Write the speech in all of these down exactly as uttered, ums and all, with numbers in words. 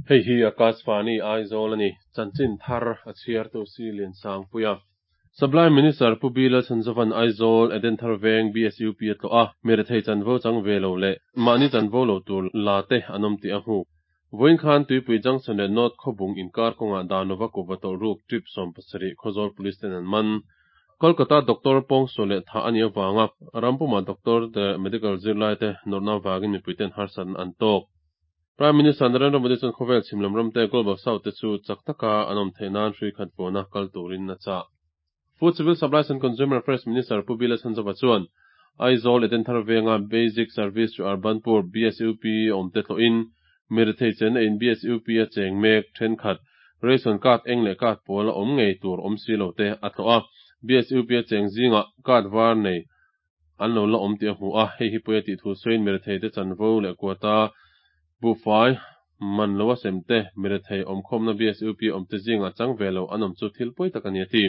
Hei hi Akashvani Aizawl a ni. Chanchin thar a chhiartu si Lian Sangpuia. Supply Minister Pu B Lalchhanzova'n Aizawl Edenthar Veng BSUP a tlawh a, mirethei chanvo chang ve lo leh mahni chanvo lo tur la te an awm tih a hmu. Vawiin khan Tuipui Junction leh North Khawbung inkar kawngah Danova kuhva tawlh ruk trip sawm pasarih Khawzawl Police ten an man. Kolkata Doctor pawngsual leh thah a nih avanga rampuma doctor te medical zirlai te nawrhna avangin mipuiten harsatna an tawk. Prime Minister Narendra Modi chuan khawvel chhim lam ram te Global South te chu chak taka an awm theih nan hrui khat vuana kal turin a chah. Food Civil Supplies and Consumer Affairs Minister Pu B Lalchhanzova chuan Aizawl Edenthar Venga Basic Service to Urban Poor BSUP awm te tlawhin mirethei chenna in BSUP a cheng mek thenkhat ration card eng leh card pawl a awm ngei tur awm si lo te a tlawh a. BSUP a cheng zingah card var nei an lo la awm tih a hmu a, hei hi pawi a tih thu sawiin mirethei te chanvo leh quota buhfai man lo a sem te mirethei awmkhawmna BSUP awm te zingah chang ve lo an awm chu thil pawi tak a ni a ti.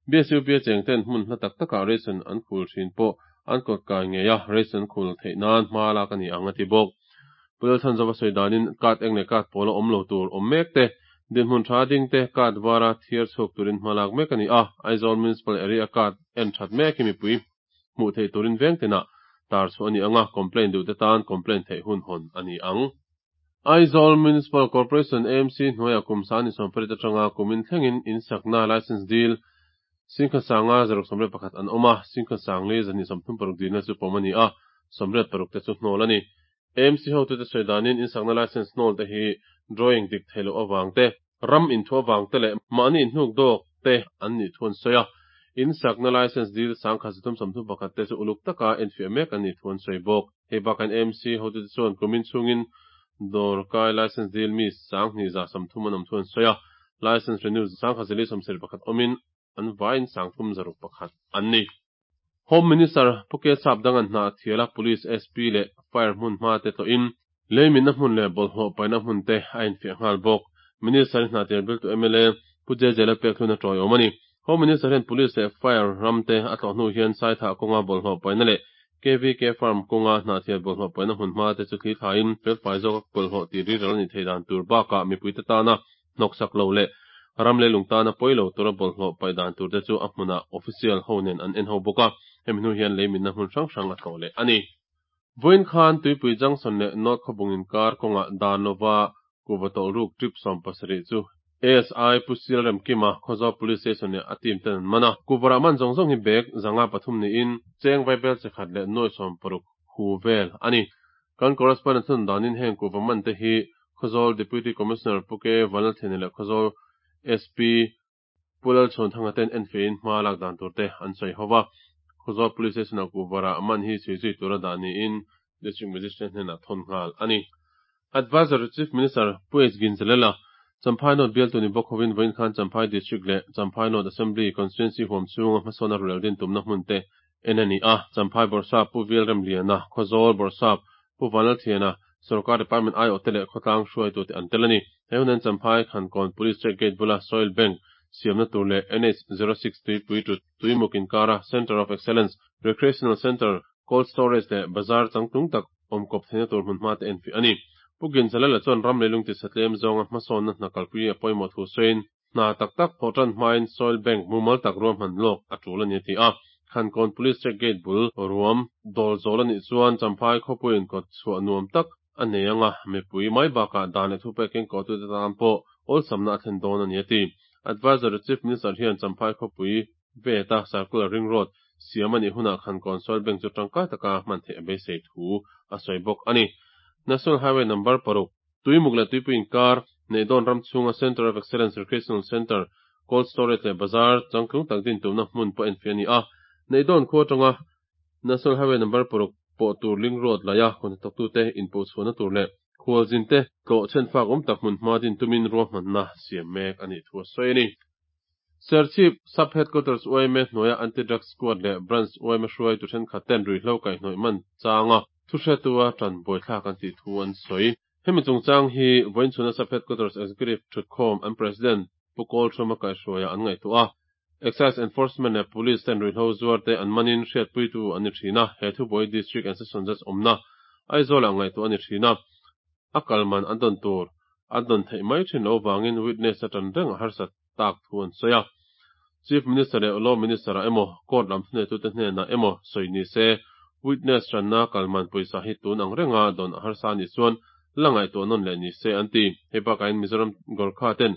BSUP a cheng ten hmun hla tak takah ration an khul thin pawh an kawt kai ngei a, ration khul theih nan hma lak a ni ang a ti bawk. Pu Lalchhanzova sawi danin card eng leh card pawl a awm lo tur awm mek te, dinhmun tha ding te card vara thiar chhuak turin hma lak mek a ni a, Aizawl Municipal Area card en that mek hi mipui hmuh theih turin veng tinah tar chhuah a ni ang a, complaint duh te tan complaint theih hun hawn a ni ang. Aizawl Municipal Corporation AMC hnuaiah kum sang ni sawmpariat atanga kumin thlengin in sakna license dil singkhat sanga zaruk sawmriat pakhat an awm a, singkhat sangli zahnih sawmthum paruk dilna chu pawm a ni a, sawmriat paruk te chu hnawl a ni. AMC hotute sawi danin in sakna license hnawl te hi drawing dik theih loh avang te, ram inthu avang te leh mahni inhnuk dawk te an nih thu an sawi a. In sakna license dil sangkhat zathum sawmthum pakhat te chu uluk taka enfiah mek an nih thu an sawi bawk. Hei bakah AMC hotute chuan kumin chhungin dawrkai license dil mi sanghnih za sawmthum an awm thu an sawi a, license renew sangkhat zali sawmsarih pakhat awmin an vaiin sangthum zaruk pakhat an ni. Home Minister Pu K Sapdanga'n hna a thial a, Police SP leh Fire hmun hma te tlawhin leiminna hmun leh bawlhhlawh paihna hmun te a infiah nghal bawk. Minister hi hna tir biltu MLA Pu JJ Lalpekhlun a tawiawm a ni. Home Minister hian Police leh Fire ram te a tlawh hnu hian Saithah kawnga bawlhhlawh paihna leh KVK Farm kawnga hnahthial bawlhhlawh paihna hmun hma te chu thli thlaiin felfai zawka bawlhhlawh tih rilral a nih theih dan tur bakah mipuite tana hnawksak lo leh ram leh lung tana pawi lo tura bawlhhlawh paih dan tur te chu a hmunah official ho nen an en ho bawk a, hemi hnu hian leiminna hmun hrang hrang a tlawh leh a ni. Vawiin khan Tuipui Junction leh North Khawbung inkar kawngah dan lova kuhva tawlh ruk trip sawm pasarih chu ASI Pu Sial Remkima Khawzawl Police Station leh a team ten an man a. Kuhva rah man zawng zawng hi bag zanga pathum niin cheng vaibel chekhat leh nuai sawm paruk hu vel a ni. Kan correspondent thun danin heng kuhva man te hi Khawzawl Deputy Commissioner Pu K Vanlaltheni leh Khawzawl SP Pu Lalchhuanthanga ten enfeiin hma lak dan tur te an sawi ho va. Khawzawl Police Station ah kuhva rah man hi chhui zui tura dah niin District Magistrate hnenah thawn nghal a ni. Advisor to Chief Minister Pu H Ginzalela, Champhai North bialtu ni bawk hovin vawiin khan Champhai District leh Champhai North Assembly Constituency huam chhunga hmasawn a rulel din tumna hmun te en a ni a. Champhai Bawrhsap Pu Velremliana, Khawzawl Bawrhsap Pu Vanlalthiana, Sorkar Department aiawh te leh khawtlang hruaitu te an tel a ni. He hunan Champhai Khankawn Police Check Gate bula Soil Bank siamna tur leh NH zero six tuipui tu tuimuk inkara Centre of Excellence, Recreational Centre, Cold Storage leh Bazar changtlung tak awm kawp theihna tur hmun hma te enfiah a ni. Pu Ginzalala chuan ram leilung ti satlem zawnga hmasawnna hna kalpui a pawimawh thu sawiin hna tak tak thawh tan hmain Soil Bank mumal tak ruahman lawk a tul a ni a ti a. Khankawn Police Check Gate bul ruam dawl zawl a nih chuan Champhai khawpuiin kawt chhuah nuam tak a nei anga mipui mai bakah dan leh thupek kengkawhtute tan pawh awlsamna a thlen dawn a ni a ti. Advisor to Chief Minister hian Champhai khawpui veta Circular Ring Road siam a nih hunah Khankawn Soil Bank chu tangkai taka hman theih a beisei thu a sawi bawk a ni. National Highway number paruk, Tuimuk leh Tuipui inkar Neihdawn ram chhunga Centre of Excellence Recreational Centre, Cold Storage leh Bazar changtlung tak din tumna hmun pawh enfiah a ni a. Neihdawn khua atanga National Highway number paruk pawh tur link road laia kawhnathawktute inpawhchhuahna tur leh khualzin te tlawh chhenfak awm tak hmun hma din tumin ruahmanna siam mek a nih thu a sawi a ni. Serchhip Sub Headquarters YMA hnuaia Anti-Drug Squad leh Branch YMA hruaitu thenkhat ten ruihhlo kaihhnawih man changa thuhretua tan buaithlak an tih thu an sawi. Hemi chungchang hi vawiin chhuna Sub Headquarters Executive thutkhawm an President Pu Kawlthuma kaihhruaia an ngaihtuah a. Excise Enforcement leh Police ten ruihhlo zuar te an manin hriatpuitu an ni thin a, he thubuai District and Session Judge awmna Aizawlah ngaihtuah a ni thin a, a kalman an dawn tur. an dawn theih mai thin loh avangin witness a tan reng a harsat tak thu an sawi a. Chief Minister leh Law Minister ah emaw court lam thuneitute hnenah emaw sawi ni se witness tanna kalman pawisa hi tun ang renga dawn a harsa anih chuan la ngaihtuah nawn leh ni se an ti. Hei bakah hian Mizoram Gorkha ten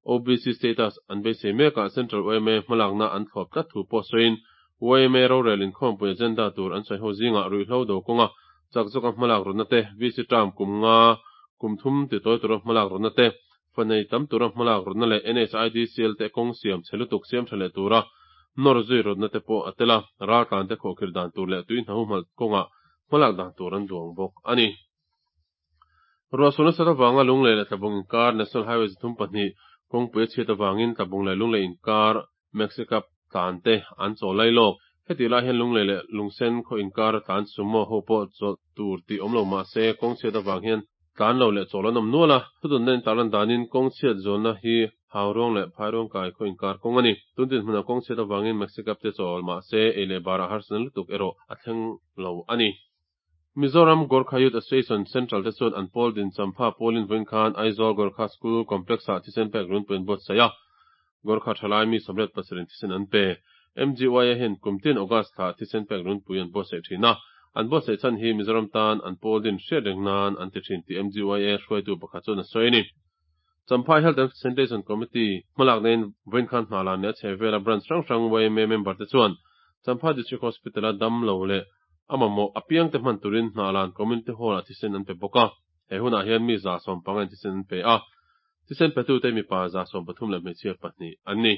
O B C status an beisei mekah Central Y M A hmalakna an thlawp tlat thu pawh sawiin Y M A rorel inkhawmpui agenda tur an sawi ho zingah ruihhlo do kawnga chak zawka hmalak rawtna te, V C term kum nga kum thum titawi tura hmalak rawtna te, fanei tam tura hmalak rawtna leh N H I D C L te kawng siam chhe lutuk siam tha leh tura nawr zui rawtna te pawh a tel a, raltlan te khawhkhirh dan tur leh tui hna humhalh kawnga hmalak dan tur an duang bawk a ni. Ruahsur nasa avanga Lunglei leh Tlabung inkar National Highway zathum pahnih kawngpui a chhiat avangin Tlabung leh Lunglei inkar Maxi Cab tlan te an chawl lai lawk. Heti lai hian Lunglei leh Lungsen khaw inkar a tlan sumo ho pawh chawlh tur tih awm lo mah se kawng chhiat avang hian tlan lo leh chawl an awm nual a. Thudunna in tarlan danin kawng chhiat zualna hi Hauruang leh Phairuang kai khaw inkar kawng a ni. Tuntin hmunah kawng chhiat avangin Maxi Cab te chawl mah se ei leh barah harsatna lutuk erawh a thleng lo a ni. Mizoram Gorkha Youth Association Central te chuan an pawl din champha pualin vawiin khan Aizawl Gorkha School Complex ah thisen pek runpui an buatsaih a. Gorkha thalai mi sawmriat pasarih thisen an pe. M G Y A hian kum tin August thla thisen pek runpui an buatsaih thin a. An buatsaih chhan hi Mizoram tan an pawl din hriat reng nan an ti thin tih M G Y A hruaitu pakhat chuan a sawi a ni. Champhai Health and Sanitation Committee hmalak nen vawiin khan hna lan leh a chheh vela branch hrang hrang Y M A member te chuan Champhai District Hospital a dam lo leh a mamawh apiang te hman turin hna lan Community Hall ah thisen an pe bawk a. He hunah hian mi za sawm panga in thisen an pe a. Thisen petu te mipa za sawm pathum leh hmeichhia pahnih an ni.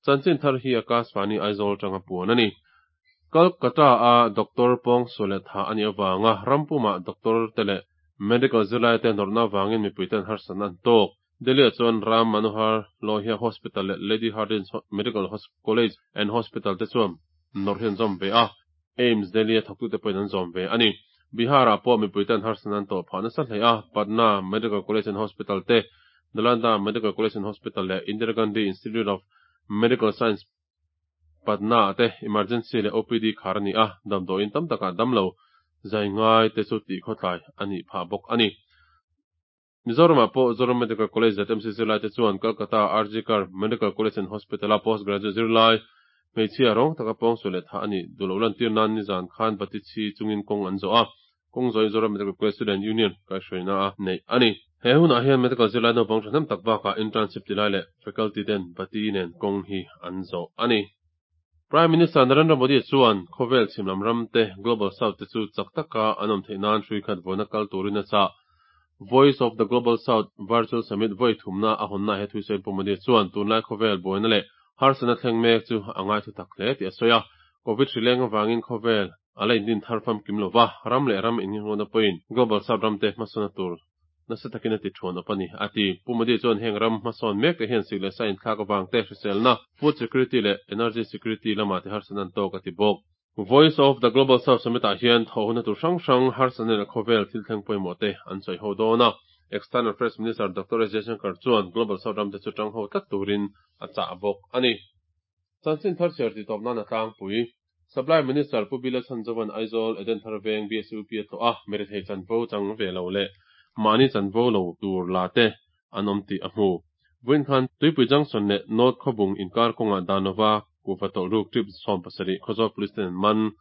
Chanchin thar hi Akashvani Aizawl tanga puan a ni. Kolkata a Doctor pawngsual leh tha ani awanga rampuma doctor te leh medical zirlai te nawrhna awangin mipui ten harsatna an tawk. Delhi ah chuan Ram Manohar Lohia Hospital leh Lady Hardinge Medical College and Hospital te chuan nawrh hi an zawm ve a. AIIMS Delhi a thawktute pawhin an zawm ve a ni. Bihar ah pawh mipui ten harsatna an tawh phah nasa hle a. Patna Medical College and Hospital te, Nalanda Medical College and Hospital leh Indira Gandhi Institute of Medical Science Patna te emergency leh O P D khar ani a. Damdawiin tam takah damlo zai ngai te chu tih khawtlai ani phah bawk a ni. Mizoram ah pawh Zoram Medical College Z M C zirlai te chuan Kolkata R G Kar Medical College and Hospital a postgraduate zirlai hmeichhia rawng taka pawngsual leh tha ani duhloh lantir nan nizan khan bati chhi chungin kawng an zawh a. Kawng zawhin Zoram Medical College Student Union kaihhruaina a neih a ni. He hunah hian medical zirlai naupang thahnem tak bakah internship tilai leh faculty ten bati nen kawng hi an zawh a ni. Prime Minister Narendra Modi chuan khawvel chhimlam ram te Global South te chu chak taka an awm theih nan hrui khat vawiina kal turin a chah. Voice of the Global South Virtual Summit vawi thumna a hawnna he thusawi Pu Modi chuan tunlai khawvel buaina leh harsatna thleng mek chu a ngai thu tak hle tih a sawi a. Covid hrileng awangin khawvel a la indin thar famkim lova, ram leh ram innghirnghawna pawhin Global South ram te hmasawna tur nasa takin a ti thuan awp a ni a ti. Pu Modi chuan heng ram hmasawn mek te hian sik leh sa inthlak awang te, hriselna, food security leh energy security lamah te harsatna an tawk a ti bawk. Voice of the Global South Summit ah hian thawhhuna tur hrang hrang harsatna leh khawvel thil thleng pawimawh te an sawi ho dawn a. External Affairs Minister Doctor S Jaishankar chuan Global South ram te chu tang ho tlat turin a chah bawk a ni. Chanchin thar chhiar ti tawp nan a tlangpui. Supply Minister Pu B Lalchhanzova'n Aizawl Edenthar Veng B S U P a tlawh a, mirethei chanvo chang ve lo leh mahni chanvo lo tur la te an awm tih a hmu. Vawiin khan Tuipui Junction leh North Khawbung inkar kawngah Danova kuhva tawlh ruk trip sawm pasarih Khawzawl Police ten an man.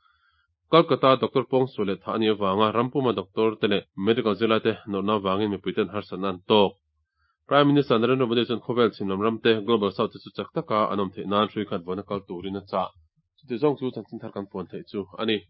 Kolkata Doctor pawngsual leh tha ani awanga rampuma doctor te leh medical zirlai te nawrhna awangin mipui ten harsatna an tawk. Prime Minister Narendra Modi chuan khawvel chhimlam ram te Global South te chu chak taka an awm theih nan hrui khat vawiina kal turin a chah. Chuti zawng chu chanchin thar kan puan theih chu a ni.